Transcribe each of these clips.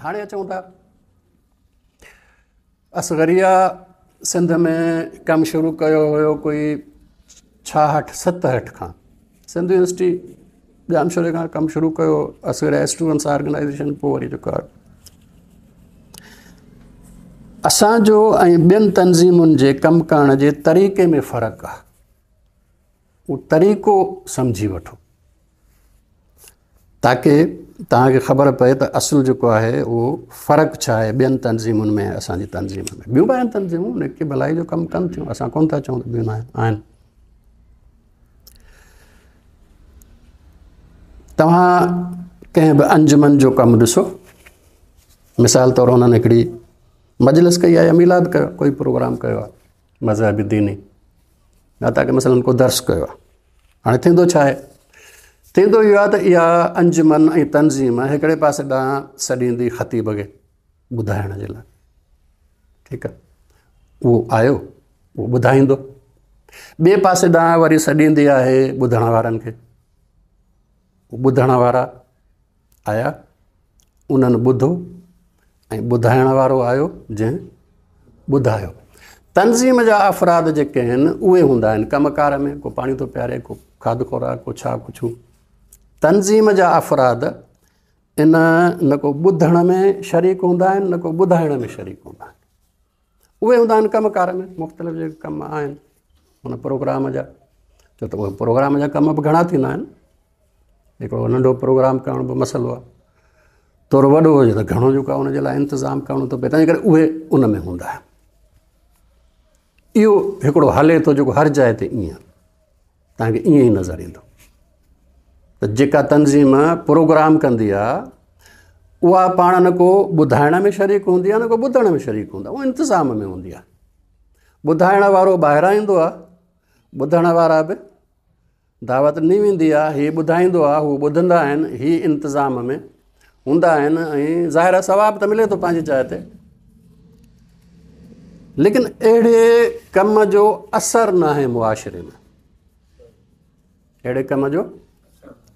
هاڻي اچون ٿا اصغريه سنڌ ۾ ڪم شروع ڪيو هيو ڪوئي 66 67 کان سنڌ يونيورسٽي ڄامشوري کان ڪم شروع ڪيو اصغريه اسٽوڊنٽس آرگنائزيشن پوء وري جيڪو آهي اسانجو ۽ ٻين تنظيمن جي ڪم ڪرڻ جي طريقي ۾ فرق آهي. اهو طريقو سمجهي وٺو تاڪه توهان کي خبر پئي ته اصل جيڪو آهي اهو فرق ڇا آهي ٻين تنظيمن ۾ اسان جي تنظيم ۾. ٻيون به آهن تنظيمون جيڪي ڀلائي جو ڪم ڪن ٿيون، اسان ڪونه ٿا چئون ته ٻيون نه آهن. توهان ڪنهن به انجمن جو ڪم ڏسو، مثال طور انهن هڪڙي مجلس ڪئي آهي يا ميلاد ڪيو، ڪوئي پروگرام ڪيو آهي مذهبي ديني، يا تاڪه مثلاً ڪو درس ڪيو آهي. هاڻي ٿيندو ڇا آهي؟ ٿيندو اهو آهي ته اها انجمن ۽ تنظيم هڪڙي پاسي ڏانهن سڏيندي خطيب کي ٻڌائڻ جي لاء، ٺيڪ آهي، اهو آيو اهو ٻڌائيندو، ٻئي پاسي ڏانهن وري سڏيندي آهي ٻڌڻ وارن کي، ٻڌڻ وارا آيا انهن ٻڌو ۽ ٻڌائڻ وارو آيو جنهن ٻڌايو. تنظيم جا افراد جيڪي آهن اهي هوندا آهن ڪم ڪار ۾، ڪو پاڻي ٿو پياري، ڪو کاڌ خوراڪ، ڪو ڇا ڪو ڇو. تنظيم جا افراد ان نه ڪو ٻڌڻ ۾ شريڪ هوندا آهن نه ڪو ٻڌائڻ ۾ شريڪ هوندا آهن. اهي هوندا آهن ڪم ڪار ۾ مختلف جيڪي ڪم آهن ان پروگرام جا، ڇو ته اهي پروگرام جا ڪم به گهڻا ٿيندا آهن. هڪڙو ننڍو پروگرام ڪرڻ به مسئلو آهي، ٿورو وڏو هجي ته گهڻو جيڪو آهي ان جي لاء انتظام ڪرڻو ٿو پئي، تنهن ڪري اهي ان ۾ هوندا آهن. اهو هڪڙو هلي ٿو جيڪو هر جاء تي ائين توهان کي ائين ئي نظر ايندو ته جيڪا تنظيم پروگرام ڪندي آهي اها پاڻ نه ڪو ٻڌائڻ ۾ شريڪ هوندي آهي نه ڪو ٻڌڻ ۾ شريڪ هوندو آهي، اهو انتظام ۾ هوندي آهي. ٻڌائڻ وارو ٻاهران ايندو آهي، ٻڌڻ وارا به دعوت ڏني ويندي آهي، هي ٻڌائيندو آهي، هو ٻڌندا آهن، هي انتظام ۾ هوندا آهن ۽ ظاهر آهي ثواب ته ملي ٿو پنهنجي جاء تي، ليڪن اهڙي ڪم جو اثر ناهي معاشري ۾، اهڙي ڪم جو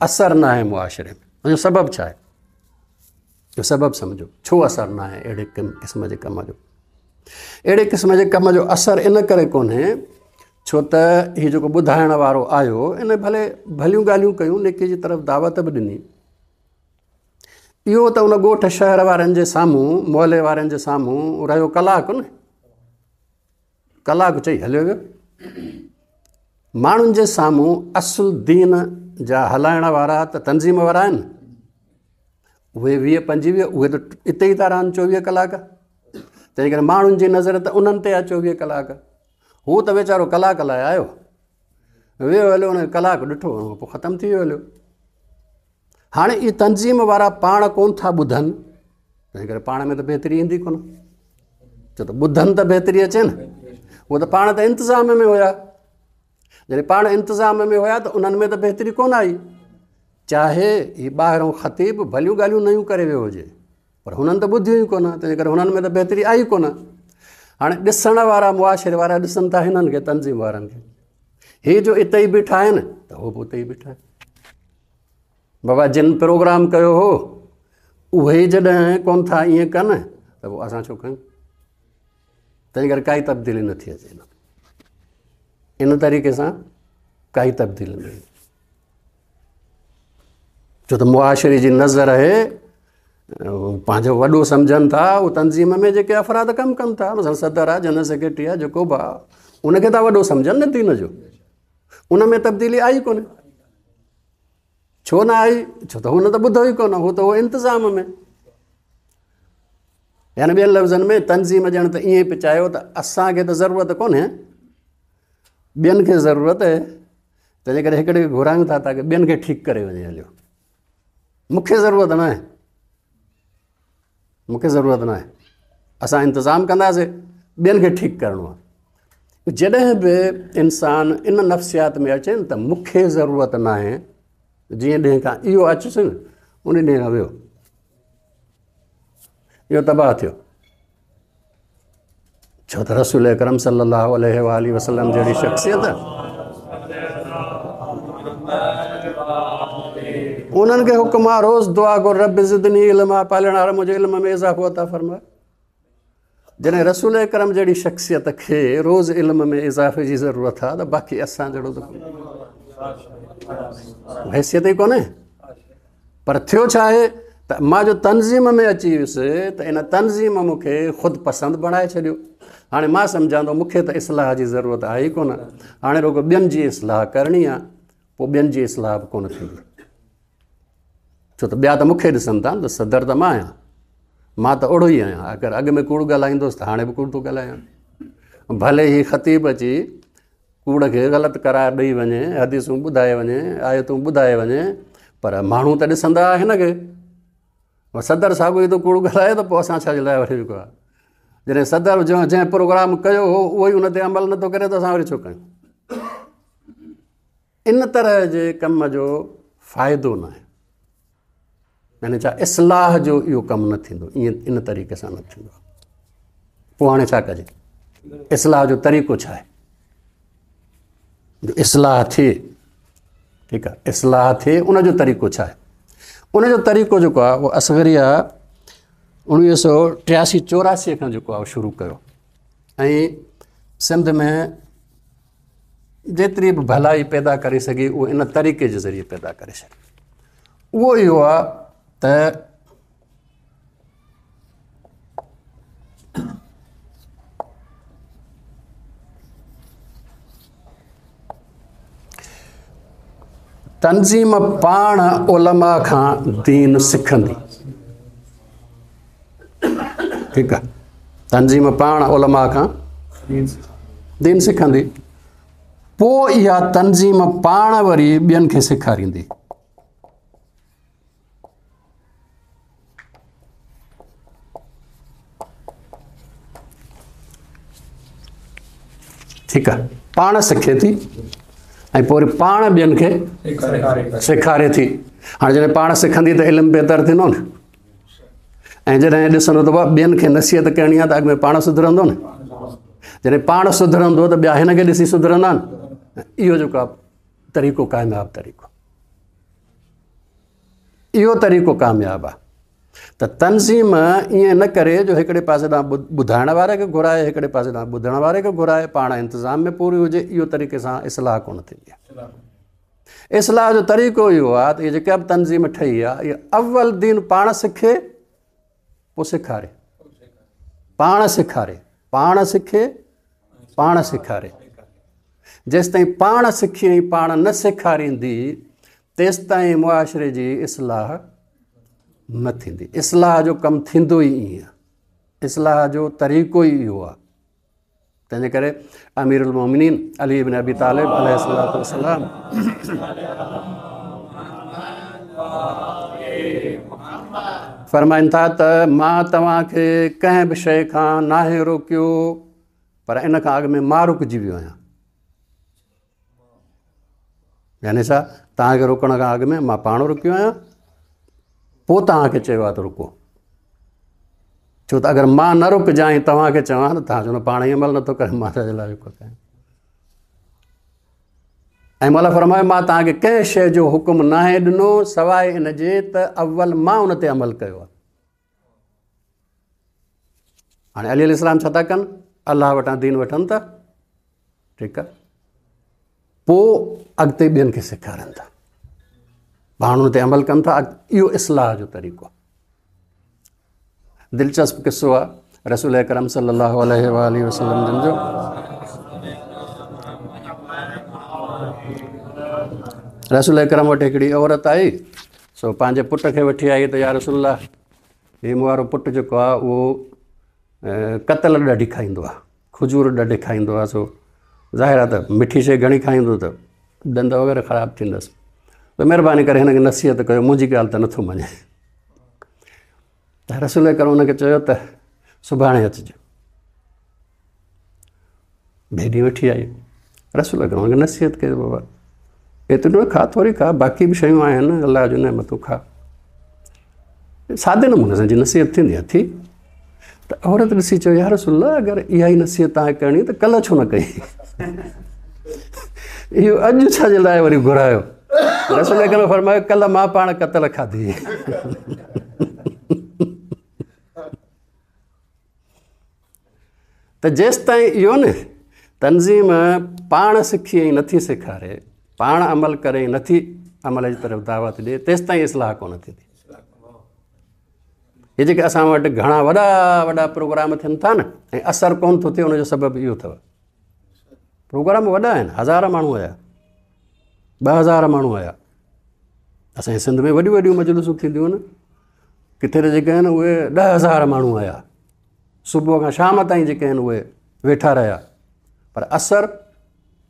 اثر ناهي معاشري ۾. ان جو سبب ڇا آهي؟ جو سبب سمجهو ڇو اثر ناهي اهڙي قسم جي ڪم جو. اهڙي قسم جي ڪم جو اثر ان ڪري ڪونهي ڇو ته هي جيڪو ٻڌائڻ وارو آيو ان ڀلي ڀليون ڳالهيون ڪيون، نيڪي جي طرف دعوت به ڏني، اهو ته ان ڳوٺ شهر وارن جي سامهون محلي وارن جي سامهون رهيو ڪلاڪ نه، ڪلاڪ چئي هليو ويو. ماڻهن جي سامهون اصل دين جا هلائڻ وارا ته تنظيم وارا آهن، اهي 20 25 اهي ته اتي ئي ٿا رهن 24 ڪلاڪ، تنهن ڪري ماڻهن جي نظر ته انهن تي آهي 24 ڪلاڪ. هو ته ويچارو ڪلاڪ لاء آيو، ويو هليو، ان ڪلاڪ ڏٺو، پوء ختم ٿي ويو هليو. هاڻي اهي تنظيم وارا پاڻ ڪونه ٿا ٻڌن، تنهن ڪري پاڻ ۾ ته بهتري ايندي ڪونه، ڇو ته ٻڌن ته بهتري اچي نه. هو ته پاڻ ته انتظام ۾ هيا، جڏهن پاڻ انتظام ۾ هيا ته انهن ۾ ته بهتري ڪونه آئي. چاهي هي ٻاهرون خطيب ڀليون ڳالهيون نيون ڪري ويو هجي، پر هنن ته ٻڌيون ئي ڪونه، تنهن ڪري هنن ۾ ته بهتري آئي ڪونه. هاڻي ڏسڻ وارا معاشري وارا ڏسن ٿا هنن کي، تنظيم وارن کي، هي جو اتي ئي بيٺا آهن ته هو به اتي ئي بيٺا آهن. بابا جن پروگرام ڪيو هو اهي ئي جڏهن ڪونه ٿا ائين ڪن ته پوء اسان ڇو ڪيون؟ تنهن ڪري ڪائي تبديلي نٿي اچي ان طريقي سان، ڪائي تبديلي نه ايندي، ڇو ته معاشري جي نظر آهي پنهنجو وڏو سمجهن ٿا اهو تنظيم ۾ جيڪي افراد ڪم ڪن ٿا، مثلا صدر آهي، جنرل سيڪريٽري آهي، جيڪو به آهي، ان کي ٿا وڏو سمجهن نه دين جو، ان ۾ تبديلي آئي ڪونهي. ڇو نه آئي؟ ڇو ته هن ته ٻڌو ئي ڪونه، هو ته هو انتظام ۾. يعني ٻين لفظن ۾ تنظيم ڄڻ ته ائين پئي چاهيو ته اسان کي ته ضرورت ڪونهي، ٻين کي ضرورت آهي، تنهن ڪري هڪڙي کي گهرايون ٿا تاڪه ٻين کي ٺيڪ ڪري وڃي هليو، مون کي ضرورت نه آهي، مون کي ضرورت نه آهي، اسان انتظام ڪنداسين، ٻين کي ٺيڪ ڪرڻو آهي. جڏهن به انسان ان نفسيات ۾ اچي نه ته مون کي ضرورت نه آهي، جيئن ڏينهن کان اهو اچيس نه ان ڏينهن کان ويو اهو تباهه ٿيو. ڇو ته رسول اڪرم صلي الله عليه وآله وسلم جهڙي شخصيت انهن کي حڪم آ روز دعا گهر رب زدني علما، پالڻهار منهنجي علم ۾ اضافو عطا فرماء. جڏهن رسول اڪرم جهڙي شخصيت کي روز علم ۾ اضافي جي ضرورت آ ته باقي اسان جهڙو ته حيثيت ئي ڪونهي. پر ٿيو ڇا آهي ته مان جو تنظيم ۾ اچي ويس ته ان تنظيم مون کي خود پسند بڻائي ڇڏيو. هاڻي مان سمجهان ٿو مون کي ته اصلاح جي ضرورت آهي ئي ڪونه، هاڻي رڳو ٻين جي اصلاح ڪرڻي آ، پوء ٻين جي اصلاح به ڪونه ٿيندي، ڇو ته ٻيا ته مون کي ڏسن ٿا نه ته صدر ته مان آهيان، مان ته اهڙو ئي آهيان، اگر اڳ ۾ ڪوڙ ڳالهائيندوس ته هاڻي به ڪوڙ ٿو ڳالهايان. ڀلي هي خطيب اچي ڪوڙ کي غلط قرار ڏئي وڃي، حديثون ٻڌائي وڃي، آيتون ٻڌائي وڃي، پر ماڻهو ته ڏسندا هن کي. صدر ساڳيو ئي ٿو ڪوڙ ڳالهائي ته پوء اسان ڇا جي لاء وري جيڪو آهي، جڏهن صدر جنهن پروگرام ڪيو هو اهو ئي ان تي عمل نٿو ڪري ته اسان وري ڇو ڪيون؟ ان طرح جي ڪم جو فائدو نه آهي، يعني ڇا اصلاح جو اهو ڪم نه ٿيندو، ائين ان طريقي سان نه ٿيندو. پوء هاڻي ڇا ڪجي؟ اصلاح جو طريقو ڇا آهي جو اصلاح ٿئي؟ ٺيڪ آهي، اصلاح ٿئي ان جو طريقو ڇا آهي؟ ان جو طريقو جيڪو آهي اهو اصغريه 1983 84 کان جيڪو آهي شروع ڪيو ۽ سنڌ ۾ جيتري به ڀلائي پيدا ڪري سگهي اهو ان طريقي جي ذريعي پيدا ڪري سگهي. اهو اهو آهي ته تنظيم پاڻ علماء کان دين سکندي. ٺيڪ آ، تنظيم پاڻ علماء کان دين سکندي، پوء اها تنظيم پاڻ وري ٻين کي سيکاريندي. ٺيڪ آ، پاڻ سکي ٿي ۽ پوء وري پاڻ ٻين کي سيکاري ٿي. هاڻي جڏهن پاڻ سکندي ته علم بهتر ٿيندو نه، ۽ جڏهن ڏسندو ته بابا ٻين کي نصيحت ڪرڻي آ ته اڳ ۾ پاڻ سڌرندو نه، جڏهن پاڻ سڌرندو ته ٻيا هن کي ڏسي سڌرندا نه. اهو جيڪو آ طريقو ڪامياب طريقو، اهو طريقو ڪامياب آ ته تنظيم ائين نه ڪري جو هڪڙي پاسي ڏانهن ٻڌائڻ واري کي گهرائي، هڪڙي پاسي ڏانهن ٻڌڻ واري کي گهرائي، پاڻ انتظام ۾ پوري هجي. اهو طريقي سان اصلاح ڪونه ٿيندي آ. اصلاح جو طريقو اهو آ ته اها جيڪا به تنظيم ٺهي آ اها اول دين پاڻ سکي پوء سيکاري، پاڻ سيکاري، پاڻ سکي پاڻ سيکاري. جيستائين پاڻ سکي ۽ پاڻ نه سيکاريندي تيستائين معاشري جي اصلاح نه ٿيندي. اصلاح جو ڪم ٿيندو ئي ائين آ، اصلاح جو طريقو ئي اهو آ. تنهنجي ڪري امير المومنين علي بن ابي طالب عليه الصلوة والسلام فرمائن ٿا ته مان توهان کي ڪنهن به شيء کان ناهي روڪيو، پر ان کان اڳ ۾ مان رڪجي ويو آهيان. يعني ڇا، توهان کي روڪڻ کان اڳ ۾ مان پاڻ رڪيو آهيان، پوء توهان کي چيو آهي ته رڪو. ڇو ته اگر مان نه رڪجان ۽ توهان کي چوان ته توهان چوندو پاڻ ئي عمل نٿو ڪري، مان ڇا جي لاء رڪو ڪيان. ۽ مولا فرمايو مان توهان کي ڪنهن شيء جو حڪم ناهي ڏنو سواء ان جي ته اول مان ان تي عمل ڪيو آهي. هاڻي علي عليه السلام ڇا ٿا ڪن؟ الله وٽان دين وٺن ٿا، ٺيڪ آهي، پوء اڳتي ٻين کي سيکارن ٿا، پاڻ ان تي عمل ڪن ٿا. اهو اصلاح جو طريقو آهي. دلچسپ قصو آهي رسول اڪرم صلي الله عليه وآله وسلم جن جو. رسول اڪرم وٽ هڪڙي عورت آئي، سو پنهنجي پٽ کي وٺي آئي ته يا رسول الله، هي مون وارو پٽ جيڪو آهي اهو ڪتل ڏاڍي کائيندو آهي، کجور ڏاڍي کائيندو آهي، سو ظاهر آهي ته مٺي شيء گهڻي کائيندو ته ڏند وغيره خراب ٿيندس، ته مهرباني ڪري هن کي نصيحت ڪيو، منهنجي ڳالهه ته نٿو مڃي. ته رسول اڪرم هن کي چيو ته سڀاڻي اچجو. ٻئي ڏينهن وٺي آئي، رسول اڪرم هن کي نصيحت ڪئي بابا ايترو نه کا، ٿوري کا، باقي به شيون آهن الله جون نعمتون کا. سادي نموني سان جي نصيحت ٿيندي آهي ٿي. ته عورت ڏسي چيو يا رسول الله، اگر اها ئي نصيحت توهان کي ڪرڻي ته ڪلهه ڇو نه ڪئي، اهو اڄ ڇا جي لاء وري گهرايو؟ رسول اڪرم فرمايو ڪلهه مان پاڻ ڪتل کاڌي. ته جيستائين اهو نه تنظيم پاڻ سکي ۽ نٿي سيکاري، پاڻ عمل ڪري ۽ نٿي عمل جي طرف دعوت ڏي، تيستائين اصلاح ڪونه ٿيندي. هي جيڪي اسان وٽ گهڻا وڏا وڏا پروگرام ٿين ٿا نه ۽ اثر ڪونه ٿو ٿئي، ان جو سبب اهو اٿو. پروگرام وڏا آهن، هزار ماڻهو آيا، 2000 ماڻهو آيا. اسانجي سنڌ ۾ وڏيون وڏيون مجلسون ٿينديون آهن، ڪٿي ته جيڪي آهن اهي 10000 ماڻهو آيا، صبح کان شام تائين جيڪي آهن اهي ويٺا رهيا، پر اثر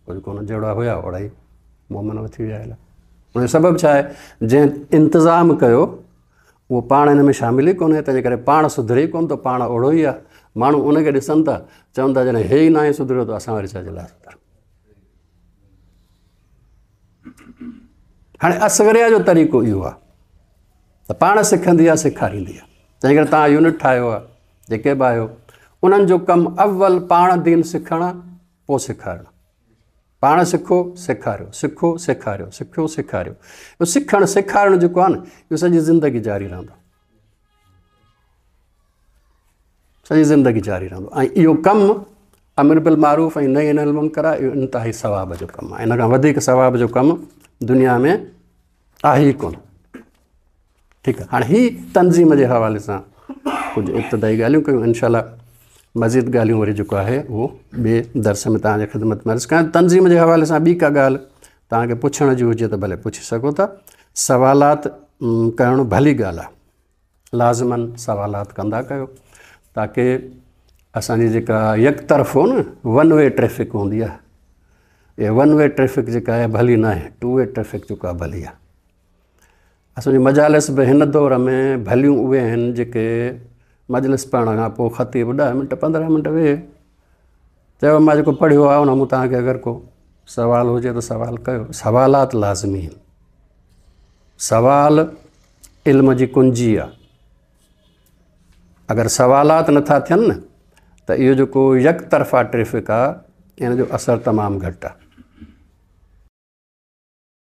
ڪجهه ڪونه، جهڙا هيا اوڙا ئي مومن وٿي ويا هليا. ان جو سبب ڇا آهي؟ جنهن انتظام ڪيو اهو پاڻ هن ۾ شامل ئي ڪونهي، تنهنجي ڪري پاڻ سڌري ئي ڪونه ٿو، پاڻ اوڙو ئي آهي. ماڻهو ان کي ڏسن ٿا، چون ٿا جڏهن هي ئي ناهي سڌريو ته اسان وري ڇا جي لاء سڌريون. هاڻي اصغريا جو طريقو اهو آهي ته پاڻ سکندي آهي، سيکاريندي آهي. تنهن ڪري توهان يونٽ ٺاهيو آهي، جيڪي به آهيو، انهن جو ڪم اول پاڻ دين سکڻ آهي، پوء سيکارڻ. پاڻ سکو، سيکاريو، سکو، سيکاريو، سکيو، سيکاريو. اهو سکڻ سيکارڻ جيڪو آهي نه، اهو سڄي زندگي جاري رهندو، سڄي زندگي جاري رهندو. ۽ اهو ڪم امر بالمعروف ۽ نهي عن المنڪر آهي، اهو انتهائي ثواب جو ڪم آهي. ان کان وڌيڪ ثواب جو ڪم دنيا ۾ آهي ئي ڪونه. ٺيڪ آهي، هاڻي هي تنظيم جي حوالي سان ڪجهه ابتدائي ڳالهيون ڪيون. انشاء الله مزيد ڳالهيون وري جيڪو آهي اهو ٻئي درس ۾ توهان جي خدمت ۾ عرض ڪيان. تنظيم جي حوالي سان ٻي ڪا ڳالهه توهان کي پڇڻ جي هجي ته ڀلي پڇي سگهو ٿا. سوالات ڪرڻ ڀلي ڳالهه آهي، لازمن سوالات ڪندا ڪيو، تاڪه اسانجي جيڪا يڪ طرفو نه ون وي ٽريفڪ هوندي آهي، اها ون وي ٽريفڪ جيڪا آهي ڀلي نه آهي، ٽو وي ٽريفڪ جيڪو آهي ڀلي آهي. اسانجي مجالس به هن دور ۾ ڀليون اهي آهن جيڪي مجلس پڙهڻ کان پوء خطيب 10 منٽ 15 منٽ ويهي چيو مان جيڪو پڙهيو آهي ان مون توهان کي اگر ڪو سوال هجي ته سوال ڪيو. سوالات لازمي آهن، سوال علم جي ڪنجي آهي. اگر سوالات نٿا ٿين نه ته اهو جيڪو يڪ طرفا ٽريفڪ آهي ان جو اثر تمام گهٽ آهي.